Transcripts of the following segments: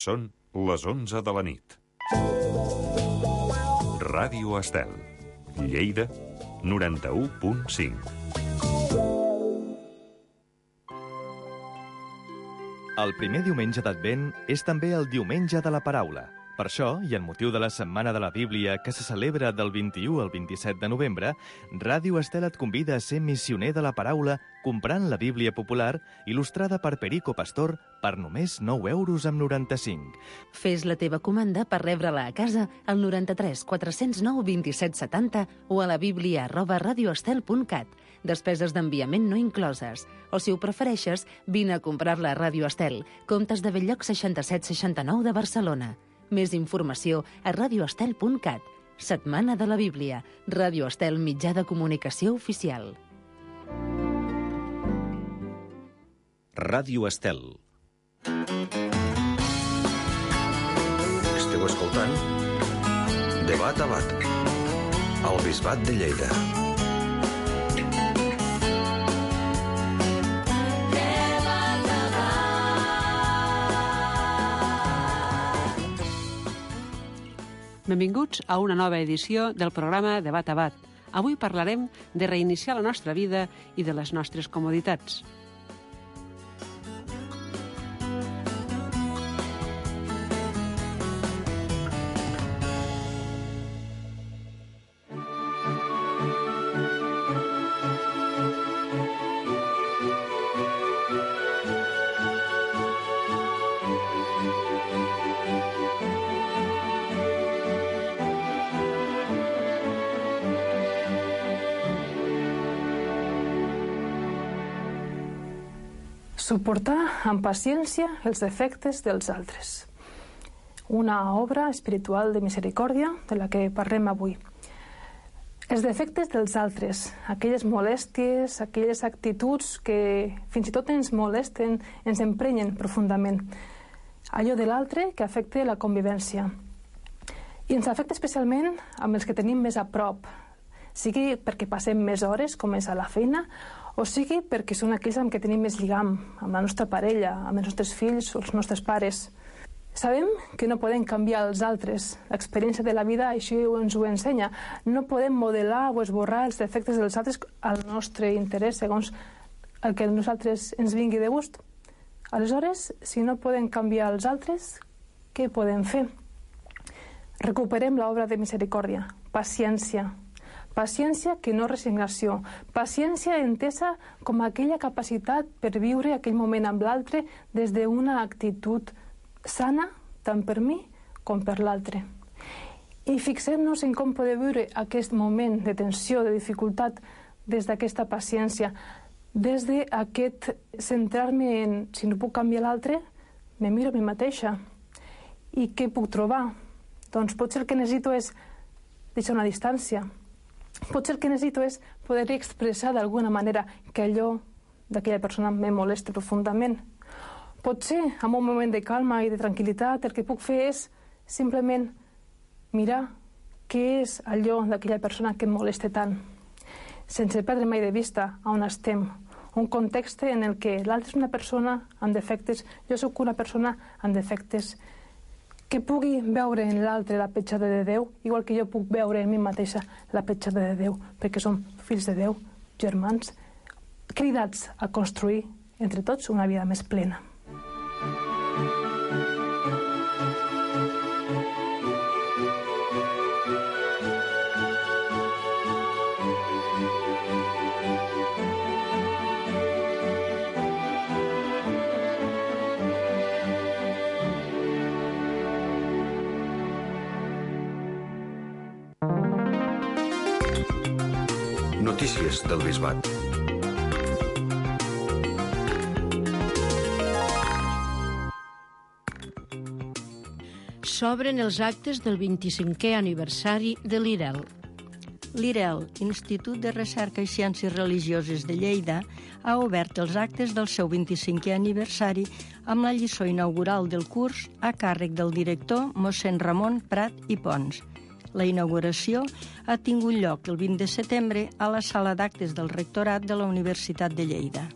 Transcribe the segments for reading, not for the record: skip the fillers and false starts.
Són les 11 de la nit. Ràdio Estel, Lleida, 91.5. El primer diumenge d'Advent és també el diumenge de la paraula. Per això, i en motiu de la Setmana de la Bíblia, que se celebra del 21 al 27 de novembre, Ràdio Estel et convida a ser missioner de la paraula comprant la Bíblia popular il·lustrada per Perico Pastor per només 9,95 €. Fes la teva comanda per rebre-la a casa al 93 409 27 70 o a la biblia@radioestel.cat. Despeses d'enviament no incloses. O, si ho prefereixes, vine a comprar-la a Ràdio Estel, Comtes de Belllloc 6769 de Barcelona. Més informació a radioestel.cat. Setmana de la Bíblia. Ràdio Estel, mitjà de comunicació oficial. Ràdio Estel. Esteu escoltant Debat a Bat, al Bisbat de Lleida. Benvinguts a una nova edició del programa Debat a Bat. Avui parlarem de reiniciar la nostra vida i de les nostres comoditats. Suportar amb paciència els defectes dels altres. Una obra espiritual de misericòrdia de la que parlem avui. Els defectes dels altres, aquelles molèsties, aquelles actituds que fins i tot ens molesten, ens emprenyen profundament. Allò de l'altre que afecta la convivència. I ens afecta especialment amb els que tenim més a prop, sigui perquè passem més hores, com és a la feina, o sigui perquè són aquells amb què tenim més lligam, amb la nostra parella, amb els nostres fills o els nostres pares. Sabem que no podem canviar els altres. L'experiència de la vida així ens ho ensenya. No podem modelar o esborrar els defectes dels altres al nostre interès, segons el que a nosaltres ens vingui de gust. Aleshores, si no podem canviar els altres, què podem fer? Recuperem l'obra de misericòrdia. Paciència. Paciència que no resignació. Paciència entesa com aquella capacitat per viure aquell moment amb l'altre des d'una actitud sana, tant per mi com per l'altre. I fixem-nos en com poder viure aquest moment de tensió, de dificultat, des d'aquesta paciència, des d'aquest centrar-me en si no puc canviar l'altre, me miro a mi mateixa. I què puc trobar? Doncs potser el que necessito és deixar una distància. Potser el que necessito és poder expressar d'alguna manera que allò d'aquella persona me molesta profundament. Potser, en un moment de calma i de tranquil·litat, el que puc fer és simplement mirar què és allò d'aquella persona que em molesta tant, sense perdre mai de vista on estem. Un context en el que l'altre és una persona amb defectes, jo sóc una persona amb defectes, que pugui veure en l'altre la petjada de Déu, igual que jo puc veure en mi mateixa la petjada de Déu, perquè som fills de Déu, germans, cridats a construir entre tots una vida més plena. Notícies del Bisbat. S'obren els actes del 25è aniversari de l'IREL. L'IREL, Institut de Recerca i Ciències Religioses de Lleida, ha obert els actes del seu 25è aniversari amb la lliçó inaugural del curs a càrrec del director mossèn Ramon Prat i Pons. La inauguració ha tingut lloc el 20 de setembre a la sala d'actes del Rectorat de la Universitat de Lleida.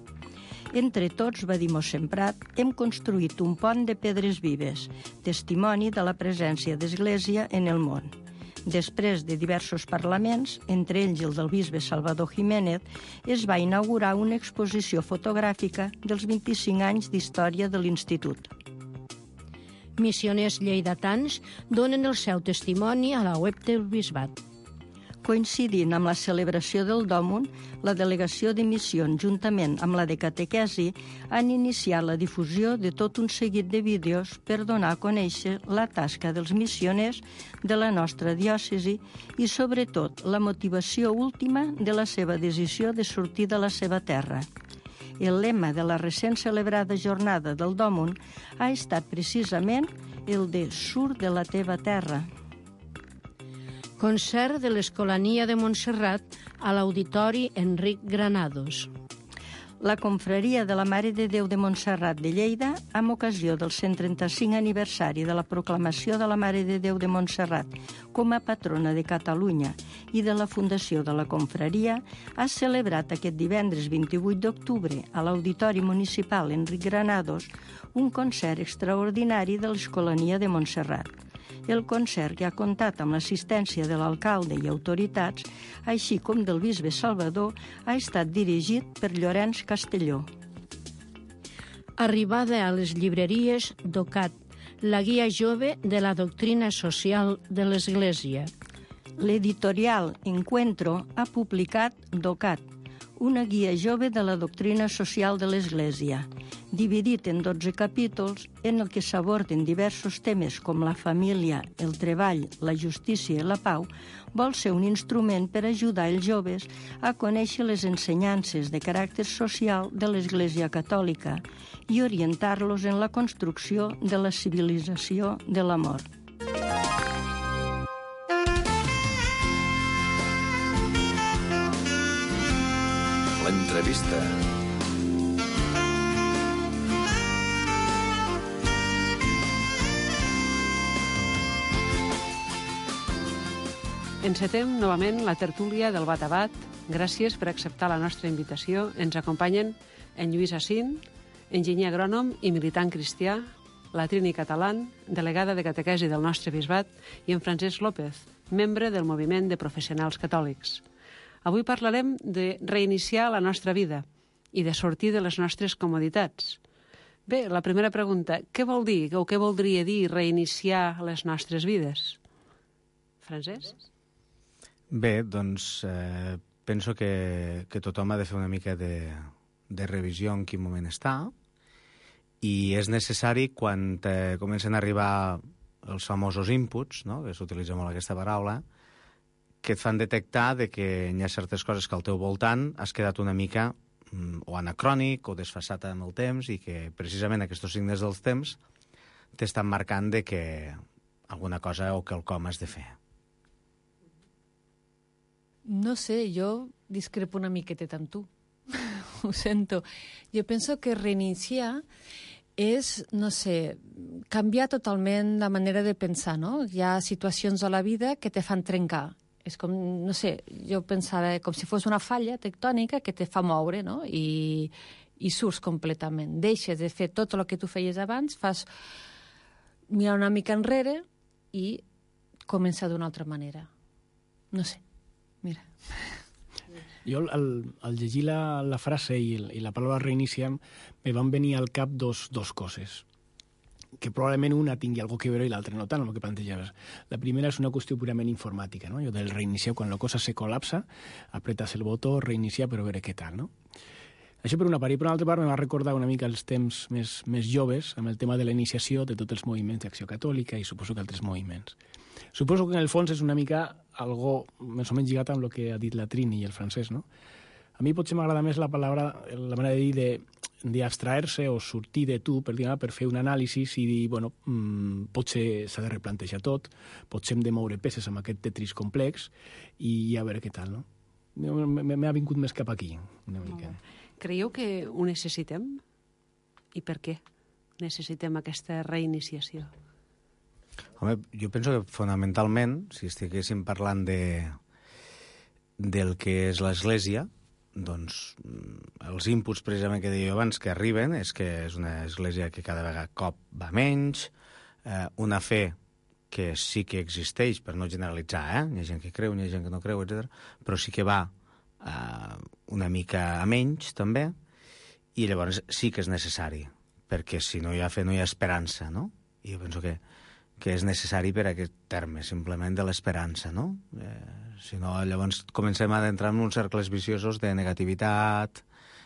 Entre tots, va dir mossèn Prat, hem construït un pont de pedres vives, testimoni de la presència d'Església en el món. Després de diversos parlaments, entre ells el del bisbe Salvador Jiménez, es va inaugurar una exposició fotogràfica dels 25 anys d'història de l'Institut. Missioners lleidatans donen el seu testimoni a la web del Bisbat. Coincidint amb la celebració del Dòmun, la delegació de missions, juntament amb la de catequesi, han iniciat la difusió de tot un seguit de vídeos per donar a conèixer la tasca dels missioners de la nostra diòcesi i, sobretot, la motivació última de la seva decisió de sortir de la seva terra. El lema de la recent celebrada jornada del Dòmun ha estat precisament el de «Surt de la teva terra». Concert de l'Escolania de Montserrat a l'Auditori Enric Granados. La confraria de la Mare de Déu de Montserrat de Lleida, amb ocasió del 135 aniversari de la proclamació de la Mare de Déu de Montserrat com a patrona de Catalunya i de la fundació de la confraria, ha celebrat aquest divendres 28 d'octubre a l'Auditori Municipal Enric Granados un concert extraordinari de l'Escolania de Montserrat. El concert, que ha comptat amb l'assistència de l'alcalde i autoritats, així com del bisbe Salvador, ha estat dirigit per Llorenç Castelló. Arribada a les llibreries d'OCAT, la guia jove de la doctrina social de l'Església. L'editorial Encuentro ha publicat DOCAT, una guia jove de la doctrina social de l'Església, dividit en 12 capítols en el que s'aborden diversos temes com la família, el treball, la justícia i la pau. Vol ser un instrument per ajudar els joves a conèixer les ensenyances de caràcter social de l'Església Catòlica i orientar-los en la construcció de la civilització de l'amor. L'entrevista. Encetem novament la tertúlia del Bat a Bat. Gràcies per acceptar la nostra invitació. Ens acompanyen en Lluís Assin, enginyer agrònom i militant cristià, la Trini Catalán, delegada de catequesi del nostre bisbat, i en Francesc López, membre del Moviment de Professionals Catòlics. Avui parlarem de reiniciar la nostra vida i de sortir de les nostres comoditats. Bé, la primera pregunta, què vol dir o què voldria dir reiniciar les nostres vides? Francesc? Bé, doncs penso que tothom ha de fer una mica de revisió en quin moment està i és necessari quan comencen a arribar els famosos inputs, no? Que s'utilitza molt aquesta paraula, que et fan detectar que hi ha certes coses que al teu voltant has quedat una mica o anacrònic o desfasat amb el temps i que precisament aquests signes dels temps t'estan marcant que alguna cosa o quelcom has de fer. No sé, jo discrepo una miqueteta amb tu. Ho sento. Jo penso que reiniciar és, no sé, canviar totalment la manera de pensar, no? Hi ha situacions a la vida que te fan trencar. És com, no sé, jo pensava com si fos una falla tectònica que te fa moure, no? I surts completament. Deixes de fer tot el que tu feies abans, fas mirar una mica enrere i començar d'una altra manera. No sé, mira. Jo, al llegir la frase i la paraula reiniciar, me van venir al cap dos coses, que probablement una tingui alguna que veure i l'altra no tant, el que plantejaves. La primera és una qüestió purament informàtica, no? Jo del reiniciar, quan la cosa se col·lapsa, apretes el botó, reiniciar, però a veure què tal, no? Això per una part. I per una altra part me va recordar una mica els temps més joves amb el tema de la iniciació de tots els moviments d'Acció Catòlica i suposo que altres moviments. Suposo que en el fons és una mica algo més o menys lligat amb el que ha dit la Trini i el Francesc, no? A mi potser m'agrada més la manera de dir d'abstraer-se o sortir de tu, per fer un anàlisi i dir, bueno, potser s'ha de replantejar tot, potser hem de moure peces amb aquest tetris complex i a veure què tal, no? M'ha vingut més cap aquí, una mica. Creieu que ho necessitem? I per què necessitem aquesta reiniciació? Home, jo penso que fonamentalment, si estiguéssim parlant del que és l'Església, doncs, els inputs precisament que deia abans que arriben és que és una església que cada vegada cop va menys, una fe que sí que existeix, per no generalitzar, hi ha gent que creu, hi ha gent que no creu, etc. Però sí que va una mica a menys, també, i llavors sí que és necessari, perquè si no hi ha fe no hi ha esperança, no? I jo penso que és necessari per aquest terme, simplement de l'esperança, no? Si no, llavors comencem a entrar en uns cercles viciosos de negativitat,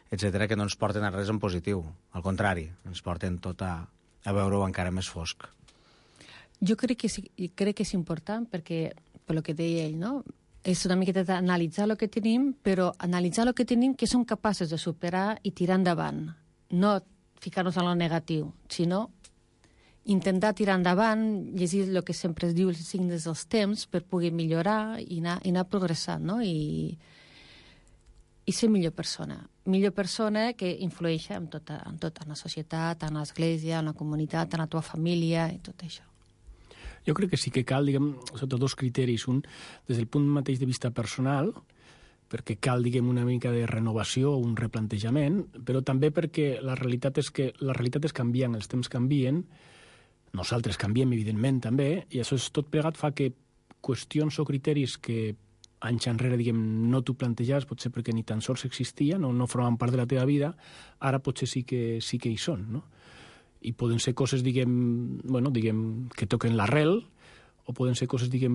etc., que no ens porten a res en positiu. Al contrari, ens porten tot a veure-ho encara més fosc. Jo crec que és important perquè, per lo que deia ell, no? És una miqueta d'analitzar el que tenim, però analitzar el que tenim que som capaços de superar i tirar endavant. No ficar-nos en lo negatiu, sinó intentar tirar endavant, llegir el que sempre es diu els signes dels temps per poder millorar i anar progressant, no? I ser millor persona. Millor persona que influeix en tota la societat, en l'església, en la comunitat, en la teva família i tot això. Jo crec que sí que cal, diguem, sota dos criteris. Un, des del punt mateix de vista personal, perquè cal, diguem, una mica de renovació, un replantejament, però també perquè la realitat és que les realitats canvien, els temps canvien, nosaltres canviem, evidentment, també, i això tot plegat fa que qüestions o criteris que anys enrere, diguem, no t'ho plantejaves, potser perquè ni tan sols existien o no formaven part de la teva vida, ara potser sí que hi són, no? I poden ser coses, diguem, que toquen l'arrel, o poden ser coses, diguem,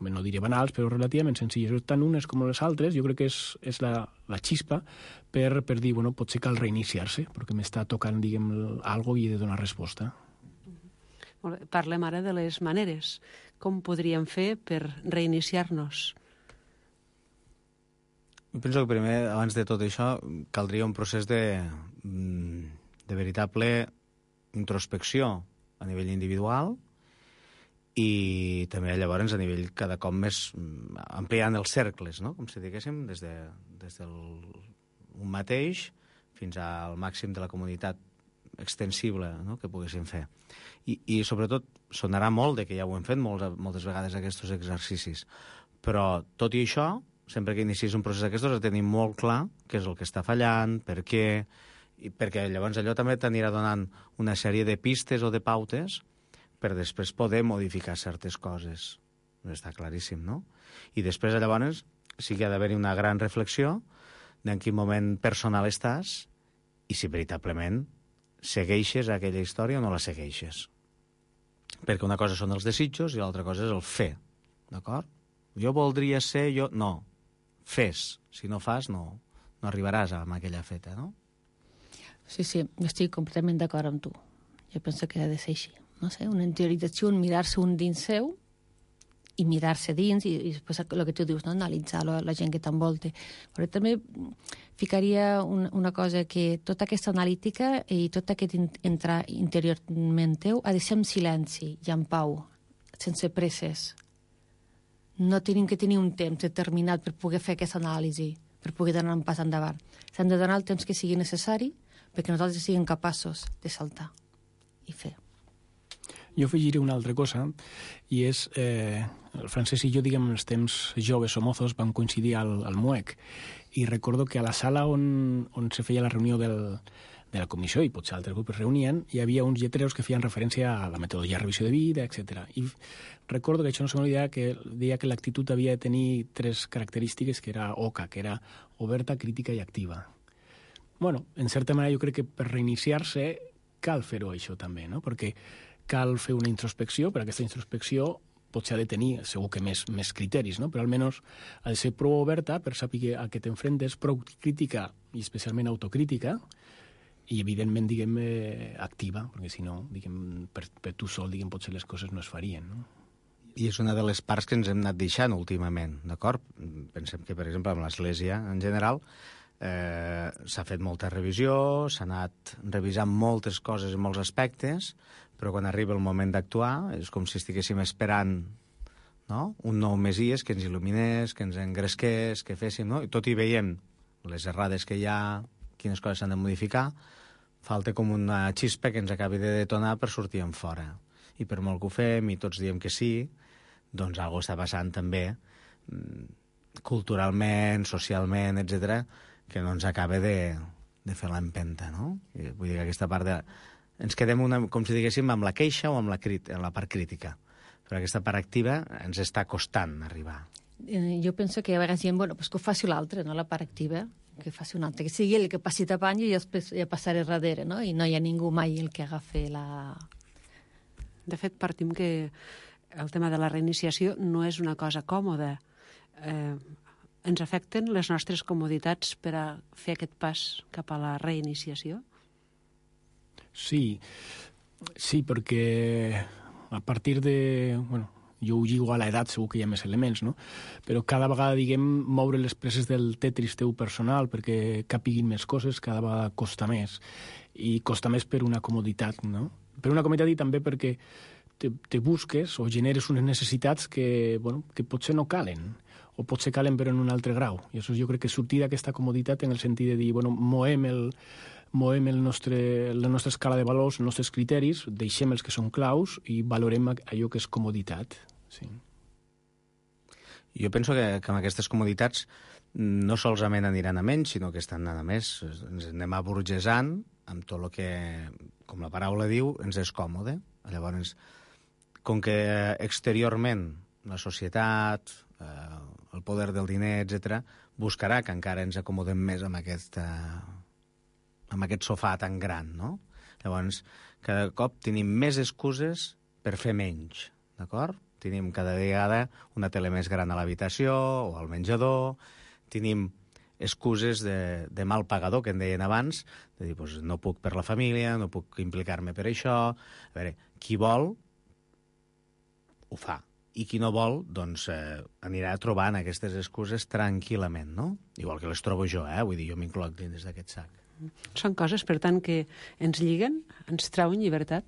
no diré banals, però relativament senzilles. Tant unes com les altres, jo crec que és la xispa per dir, potser cal reiniciar-se, perquè m'està tocant, diguem, algo i he de donar resposta. Parlem ara de les maneres. Com podríem fer per reiniciar-nos? Penso que primer, abans de tot això, caldria un procés de veritable introspecció a nivell individual i també llavors a nivell cada cop més ampliant els cercles, no? Com si diguéssim, des del un mateix fins al màxim de la comunitat extensible, no?, que poguéssim fer. I sobretot sonarà molt de que ja ho hem fet moltes vegades aquests exercicis, però tot i això, sempre que inicies un procés d'aquestos, tenim molt clar què és el que està fallant, per què, i perquè llavors allò també t'anirà donant una sèrie de pistes o de pautes per després poder modificar certes coses. Està claríssim, no? I després llavors sí que ha d'haver-hi una gran reflexió d'en quin moment personal estàs i si veritablement segueixes aquella història o no la segueixes. Perquè una cosa són els desitjos i l'altra cosa és el fer, d'acord? Jo voldria ser, no. Fes. Si no fas, no arribaràs a aquella feta, no? Sí, jo estic completament d'acord amb tu. Jo penso que ha de ser així. No sé, una interiorització, un mirar-se un dins seu i mirar-se dins i després el que tu dius, no? Analitzar la gent que t'envolta. Però també ficaria una cosa, que tota aquesta analítica i tot aquest entrar interiorment teu ha de ser en silenci i en pau, sense presses. No tenim que tenir un temps determinat per poder fer aquesta anàlisi, per poder donar un pas endavant. S'han de donar el temps que sigui necessari perquè nosaltres siguem capaços de saltar i fer. Jo afegiré una altra cosa, i és, el Francesc i jo, diguem, en els temps joves o mozos vam coincidir al MUEC, i recordo que a la sala on se feia la reunió de la comissió, i potser altres grups es reunien, hi havia uns lletreros que feien referència a la metodologia de revisió de vida, etc. I recordo que això no se m'oblida, que deia que l'actitud havia de tenir 3 característiques, que era OCA, que era oberta, crítica i activa. Bueno, en certa manera jo crec que per reiniciar-se cal fer-ho això també, no? Perquè cal fer una introspecció, però aquesta introspecció potser ha de tenir, segur que més criteris, no? Però almenys ha de ser prou oberta per saber a què t'enfrentes, prou crítica i especialment autocrítica, i evidentment, diguem, activa, perquè si no, diguem, per tu sol, diguem, potser les coses no es farien, no? I és una de les parts que ens hem anat deixant últimament, d'acord? Pensem que, per exemple, amb l'Església en general s'ha fet molta revisió, s'ha anat revisant moltes coses i molts aspectes, però quan arriba el moment d'actuar és com si estiguéssim esperant, no?, un nou Messies que ens il·luminés, que ens engresqués, que féssim, no? I tot i veiem les errades que hi ha, quines coses s'han de modificar, falta com una xispa que ens acabi de detonar per sortir en fora. I per molt que ho fem i tots diem que sí, doncs alguna cosa està passant també culturalment, socialment, etc., que no ens acaba de fer l'empenta, no? Vull dir que aquesta part ens quedem, com si diguéssim, amb la queixa o amb la part crítica. Però aquesta part activa ens està costant arribar. Jo penso que a vegades diem, bueno, pues que ho faci l'altre, no la part activa, que faci un altre, que sigui el que passi tapant i jo després ja passaré darrere, no? I no hi ha ningú mai el que agafi la... De fet, partim que el tema de la reiniciació no és una cosa còmoda. Ens afecten les nostres comoditats per a fer aquest pas cap a la reiniciació? Sí, perquè a partir de... Bueno, jo ho lligo a l'edat, segur que hi ha més elements, no? Però cada vegada, diguem, moure les peces del Tetris teu personal perquè capiguin més coses, cada vegada costa més. I costa més per una comoditat, no? Per una comoditat i també perquè te busques o generes unes necessitats que potser no calen, o potser calen però en un altre grau. I això jo crec que sortir d'aquesta comoditat en el sentit de dir, moem la nostra escala de valors, els nostres criteris, deixem els que són claus i valorem allò que és comoditat. Sí. Jo penso que amb aquestes comoditats no solament aniran a menys, sinó que estan anant a més. Ens anem aburgesant amb tot el que, com la paraula diu, ens és còmode. Llavors, com que exteriorment la societat, el poder del diner, etc., buscarà que encara ens acomodem més amb aquest sofà tan gran, no? Llavors, cada cop tenim més excuses per fer menys, d'acord? Tenim cada vegada una tele més gran a l'habitació o al menjador, tenim excuses de mal pagador, que en deien abans, de dir, doncs, no puc per la família, no puc implicar-me per això... A veure, qui vol, ho fa. I qui no vol, doncs, anirà trobant aquestes excuses tranquil·lament, no? Igual que les trobo jo, vull dir, jo m'incloc dins d'aquest sac. Són coses, per tant, que ens lliguen, ens trauen llibertat?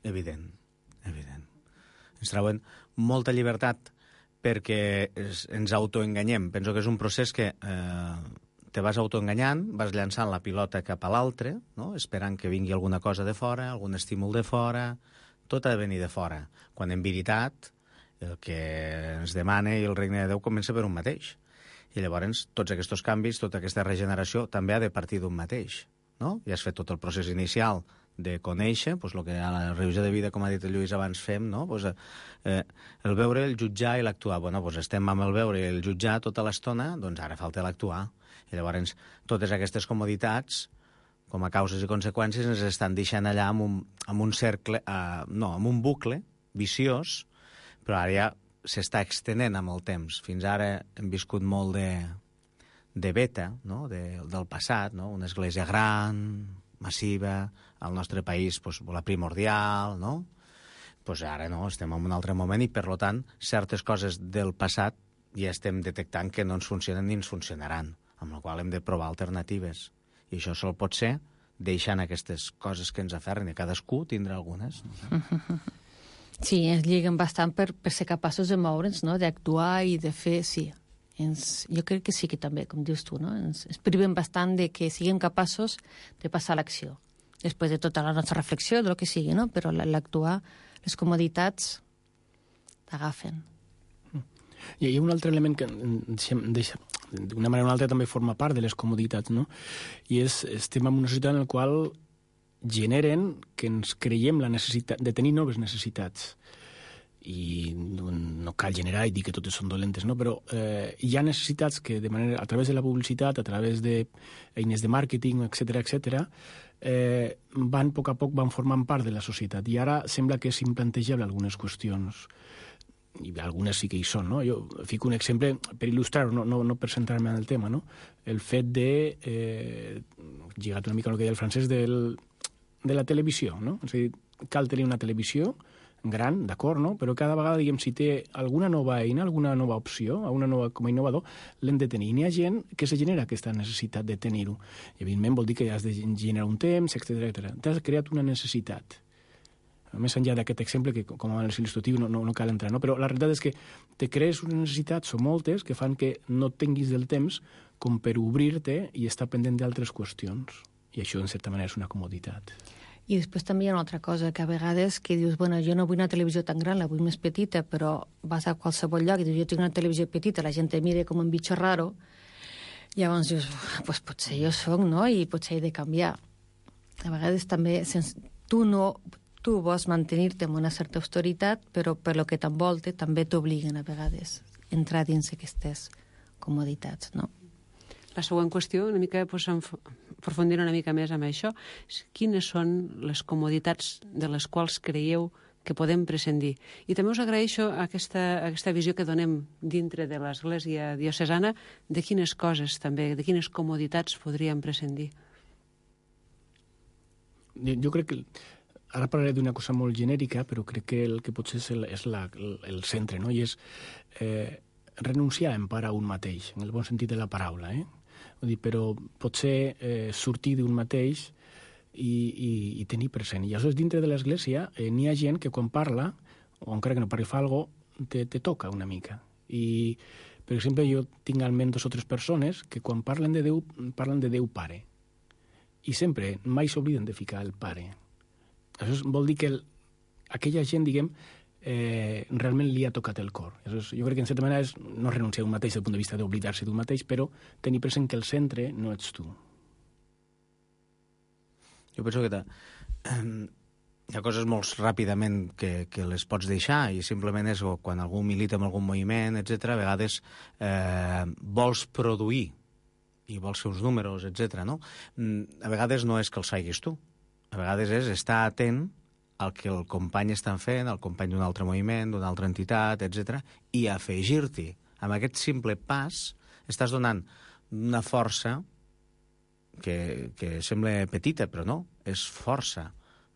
Evident. Ens trauen molta llibertat perquè ens autoenganyem. Penso que és un procés que te vas autoenganyant, vas llançant la pilota cap a l'altre, no? Esperant que vingui alguna cosa de fora, algun estímul de fora, tot ha de venir de fora. Quan en veritat el que ens demana i el regne de Déu comença per un mateix. I llavors tots aquests canvis, tota aquesta regeneració també ha de partir d'un mateix, no? Ja has fet tot el procés inicial de conèixer, doncs el que a la revisió de vida, com ha dit el Lluís abans, fem, no? Pues, el veure, el jutjar i l'actuar. Bueno, doncs estem amb el veure i el jutjar tota l'estona, doncs ara falta l'actuar. I llavors totes aquestes comoditats, com a causes i conseqüències, ens estan deixant allà amb un cercle, amb un bucle viciós, però ara ja s'està extenent amb el temps. Fins ara hem viscut molt de beta, no? Del passat, no? Una església gran, massiva, al nostre país pues, la primordial, no? Pues ara no, estem en un altre moment i, per tant, certes coses del passat ja estem detectant que no ens funcionen ni ens funcionaran, amb la qual hem de provar alternatives. I això sol pot ser deixant aquestes coses que ens aferren, i cadascú tindrà algunes. Sí, ens lliguen bastant per ser capaços de moure'ns, no? D'actuar i de fer, sí. Jo crec que sí que també, com dius tu, no? Ens privem bastant de que siguem capaços de passar a l'acció. Després de tota la nostra reflexió, del que sigui, no? Però l'actuar, les comoditats t'agafen. I hi ha un altre element que d'una manera o una altra també forma part de les comoditats, no? I estem en una societat en la qual generen que ens creiem la necessitat de tenir noves necessitats. I no cal generar i dir que totes són dolentes, no? Però hi ha necessitats que a través de la publicitat, a través d'eines de màrqueting, etc., van a poc van formant part de la societat. I ara sembla que és implantejable algunes qüestions, i algunes sí que hi són, no? Jo fico un exemple per il·lustrar-ho, no per centrar-me en el tema, no? El fet de, lligat una mica al que deia el Francesc, de la televisió, no? És a dir, cal tenir una televisió gran, d'acord, no? Però cada vegada, diguem, si té alguna nova eina, alguna nova opció, com a innovador, l'hem de tenir. I n'hi ha gent que se genera aquesta necessitat de tenir-ho. I, evidentment, vol dir que has de generar un temps, etc. T'has creat una necessitat. Més enllà d'aquest exemple, que com a il·lustratiu no cal entrar, no? Però la realitat és que te crees unes necessitats, o moltes, que fan que no tinguis del temps com per obrir-te i estar pendent d'altres qüestions. I això, en certa manera, és una comoditat. I després també hi ha una altra cosa, que a vegades que dius, bueno, jo no vull una televisió tan gran, la vull més petita, però vas a qualsevol lloc i dius, jo tinc una televisió petita, la gent te mira com un bitxo raro, Llavors dius, pues potser jo soc, no? I potser he de canviar. A vegades també, tu vols mantenir-te amb una certa austeritat, però per lo que t'envolta també t'obliguen a vegades a entrar dins aquestes comoditats, no? La següent qüestió, una mica aprofundir una mica més amb això, quines són les comoditats de les quals creieu que podem prescindir? I també us agraeixo aquesta visió que donem dintre de l'Església diocesana de quines coses també, de quines comoditats podríem prescindir. Jo crec que ara parlaré d'una cosa molt genèrica, però crec que el que potser és el centre, no? I és renunciar en part a un mateix, en el bon sentit de la paraula, Vull dir, però potser sortir d'un mateix i tenir present. I aleshores, dintre de l'Església, n'hi ha gent que quan parla, o encara que no parli fa alguna cosa, te toca una mica. I, per exemple, jo tinc almenys 2 o 3 persones que quan parlen de Déu Pare. I sempre, mai s'obliden de ficar el Pare. Això vol dir que aquella gent, diguem, realment li ha tocat el cor. Jo crec que en certa manera és no renunciar a un mateix des del punt de vista d'oblidar-se d'un mateix, però tenir present que el centre no ets tu. Jo penso que hi ha coses molt ràpidament que les pots deixar i simplement és quan algú milita en algun moviment, etc. A vegades vols produir i vols fer uns números, etc. No? A vegades no és que els facis tu. A vegades és estar atent el que el company està fent, el company d'un altre moviment, d'una altra entitat, etc. I afegir-t'hi. Amb aquest simple pas estàs donant una força que sembla petita, però no, és força,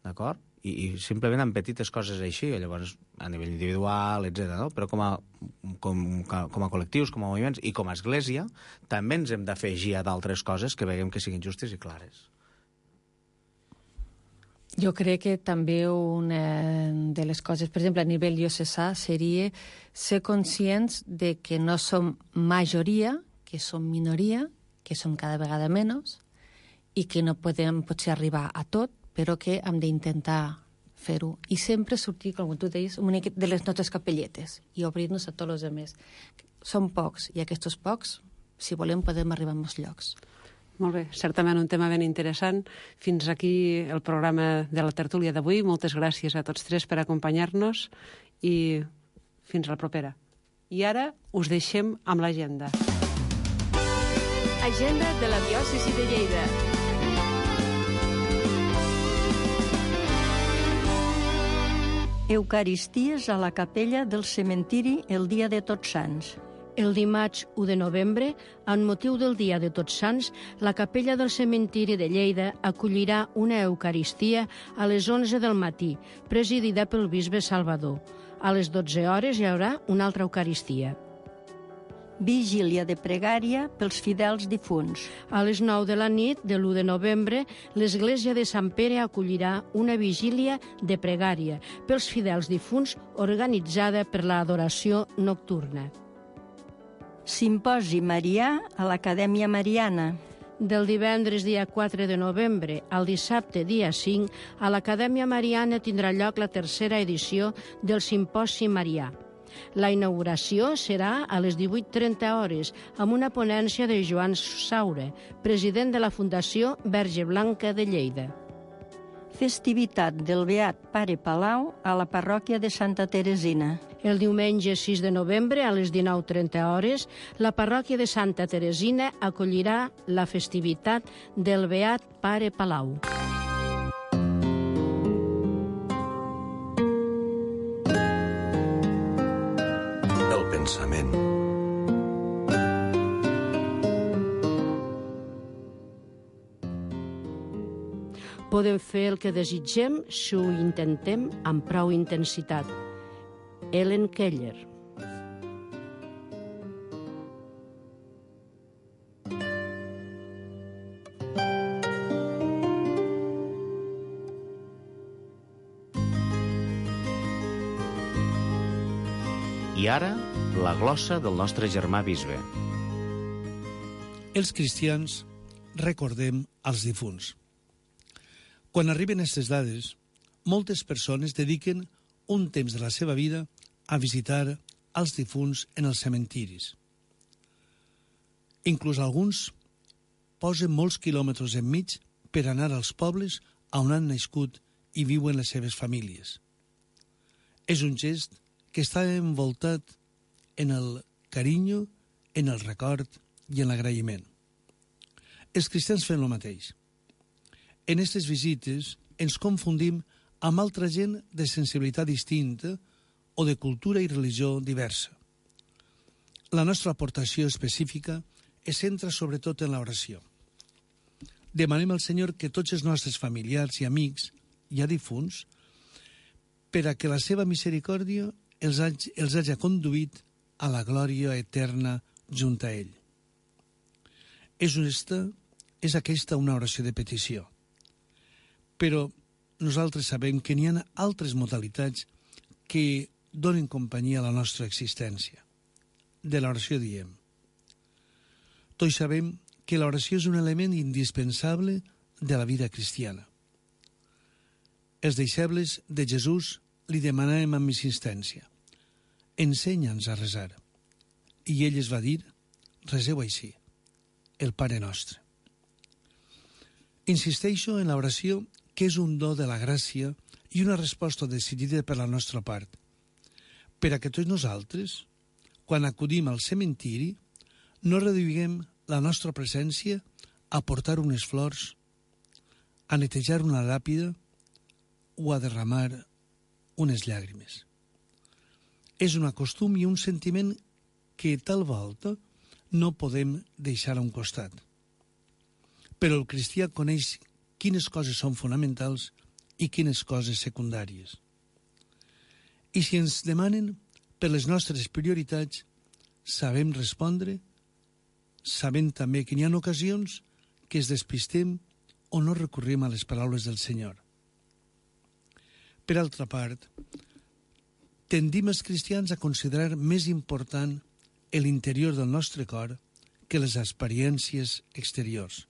d'acord? I simplement amb petites coses així, llavors a nivell individual, etc. No? Però com a col·lectius, com a moviments i com a església, també ens hem d'afegir a d'altres coses que veiem que siguin justes i clares. Jo crec que també una de les coses, per exemple, a nivell diocesà, seria ser conscients de que no som majoria, que som minoria, que som cada vegada menys, i que no podem potser arribar a tot, però que hem d'intentar fer-ho. I sempre sortir, com tu deies, una mica de les nostres capelletes i obrir-nos a tots els altres. Som pocs, i aquests pocs, si volem, podem arribar a molts llocs. Molt bé, certament un tema ben interessant. Fins aquí el programa de la tertúlia d'avui. Moltes gràcies a tots 3 per acompanyar-nos i fins la propera. I ara us deixem amb l'agenda. Agenda de la diòcesi de Lleida. Eucaristies a la capella del cementiri el dia de Tots Sants. El dimarts 1 de novembre, amb motiu del Dia de Tots Sants, la capella del cementiri de Lleida acollirà una Eucaristia a les 11 del matí, presidida pel bisbe Salvador. A les 12 hores hi haurà una altra Eucaristia. Vigília de pregària pels fidels difunts. A les 9 de la nit de l'1 de novembre, l'Església de Sant Pere acollirà una vigília de pregària pels fidels difunts organitzada per l'Adoració Nocturna. Simposi Marià a l'Acadèmia Mariana. Del divendres dia 4 de novembre al dissabte dia 5, a l'Acadèmia Mariana tindrà lloc la 3a edició del Simposi Marià. La inauguració serà a les 18:30 hores amb una ponència de Joan Saura, president de la Fundació Verge Blanca de Lleida. Festivitat del Beat Pare Palau a la parròquia de Santa Teresina. El diumenge 6 de novembre, a les 19:30 hores, la parròquia de Santa Teresina acollirà la festivitat del Beat Pare Palau. El pensament. Podem fer el que desitgem si ho intentem amb prou intensitat. Helen Keller. I ara, la glossa del nostre germà bisbe. Els cristians recordem els difunts. Quan arriben aquestes dades, moltes persones dediquen un temps de la seva vida a visitar els difunts en els cementiris. Inclús alguns posen molts quilòmetres enmig per anar als pobles on han nascut i viuen les seves famílies. És un gest que està envoltat en el carinyo, en el record i en l'agraïment. Els cristians fem el mateix. En aquestes visites ens confundim amb altra gent de sensibilitat distinta o de cultura i religió diversa. La nostra aportació específica es centra sobretot en l'oració. Demanem al Senyor que tots els nostres familiars i amics, ja difunts, per a que la seva misericòrdia els hagi conduït a la glòria eterna junt a ell. És aquesta una oració de petició. Però nosaltres sabem que n'hi ha altres modalitats que donen companyia a la nostra existència. De l'oració diem. Tots sabem que l'oració és un element indispensable de la vida cristiana. Els deixebles de Jesús li demanàvem amb insistència: ensenya'ns a resar. I ell es va dir: reseu així, el Pare Nostre. Insisteixo en l'oració, que és un do de la gràcia i una resposta decidida per la nostra part, per a que tots nosaltres, quan acudim al cementiri, no reduïguem la nostra presència a portar unes flors, a netejar una làpida o a derramar unes llàgrimes. És un costum i un sentiment que tal volta no podem deixar a un costat. Però el cristià coneix quines coses són fonamentals i quines coses secundàries. I si ens demanen per les nostres prioritats, sabem respondre, sabent també que hi ha ocasions que es despistem o no recorrim a les paraules del Senyor. Per altra part, tendim els cristians a considerar més important l'interior del nostre cor que les experiències exteriors.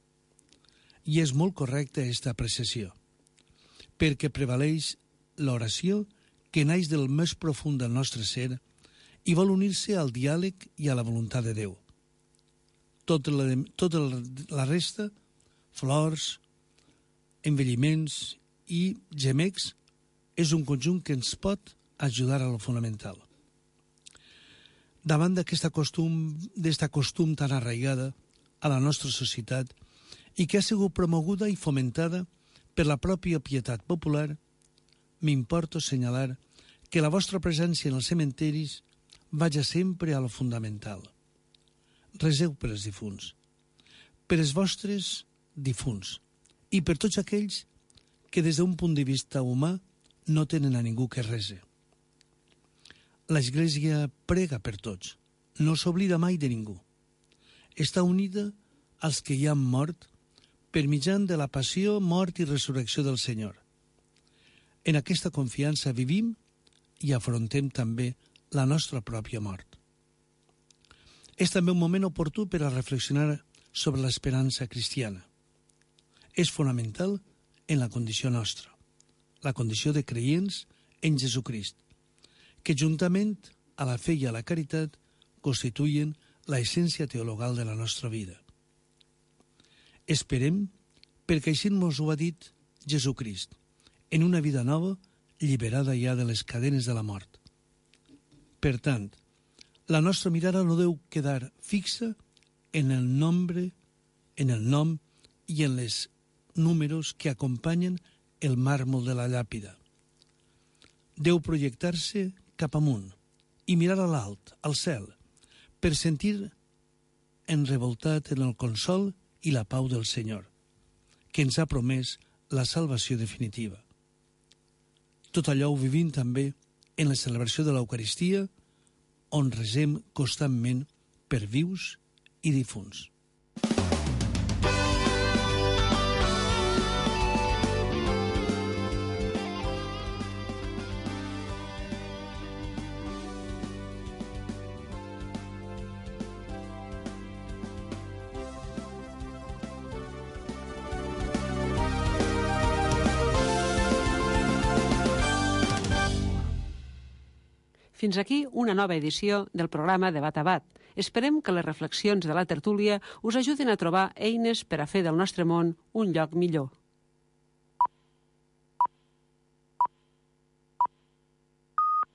I és molt correcta aquesta apreciació, perquè prevaleix l'oració que naix del més profund del nostre ser i vol unir-se al diàleg i a la voluntat de Déu. Tota la resta, flors, envelliments i gemecs, és un conjunt que ens pot ajudar a lo fonamental. Davant d'aquesta costum tan arraigada a la nostra societat i que ha sigut promoguda i fomentada per la pròpia pietat popular, m'importa assenyalar que la vostra presència en els cementeris vaja sempre a lo fundamental. Reseu per els difunts, per els vostres difunts i per tots aquells que des d'un punt de vista humà no tenen a ningú que rese. L'Església prega per tots, no s'oblida mai de ningú. Està unida als que hi han mort per mitjan de la passió, mort i resurrecció del Senyor. En aquesta confiança vivim i afrontem també la nostra pròpia mort. És també un moment oportú per a reflexionar sobre l'esperança cristiana. És fonamental en la condició nostra, la condició de creients en Jesucrist, que juntament a la fe i a la caritat constituïen l'essència teologal de la nostra vida. Esperem, perquè així ens ho ha dit Jesucrist, en una vida nova, lliberada ja de les cadenes de la mort. Per tant, la nostra mirada no deu quedar fixa en el nombre, en el nom i en les números que acompanyen el màrmol de la llàpida. Deu projectar-se cap amunt i mirar a l'alt, al cel, per sentir enrevoltat en el consol i la pau del Senyor, que ens ha promès la salvació definitiva. Tot allò ho vivim també en la celebració de l'Eucaristia, on resem constantment per vius i difunts. Fins aquí una nova edició del programa Debat a Bat. Esperem que les reflexions de la tertúlia us ajudin a trobar eines per a fer del nostre món un lloc millor.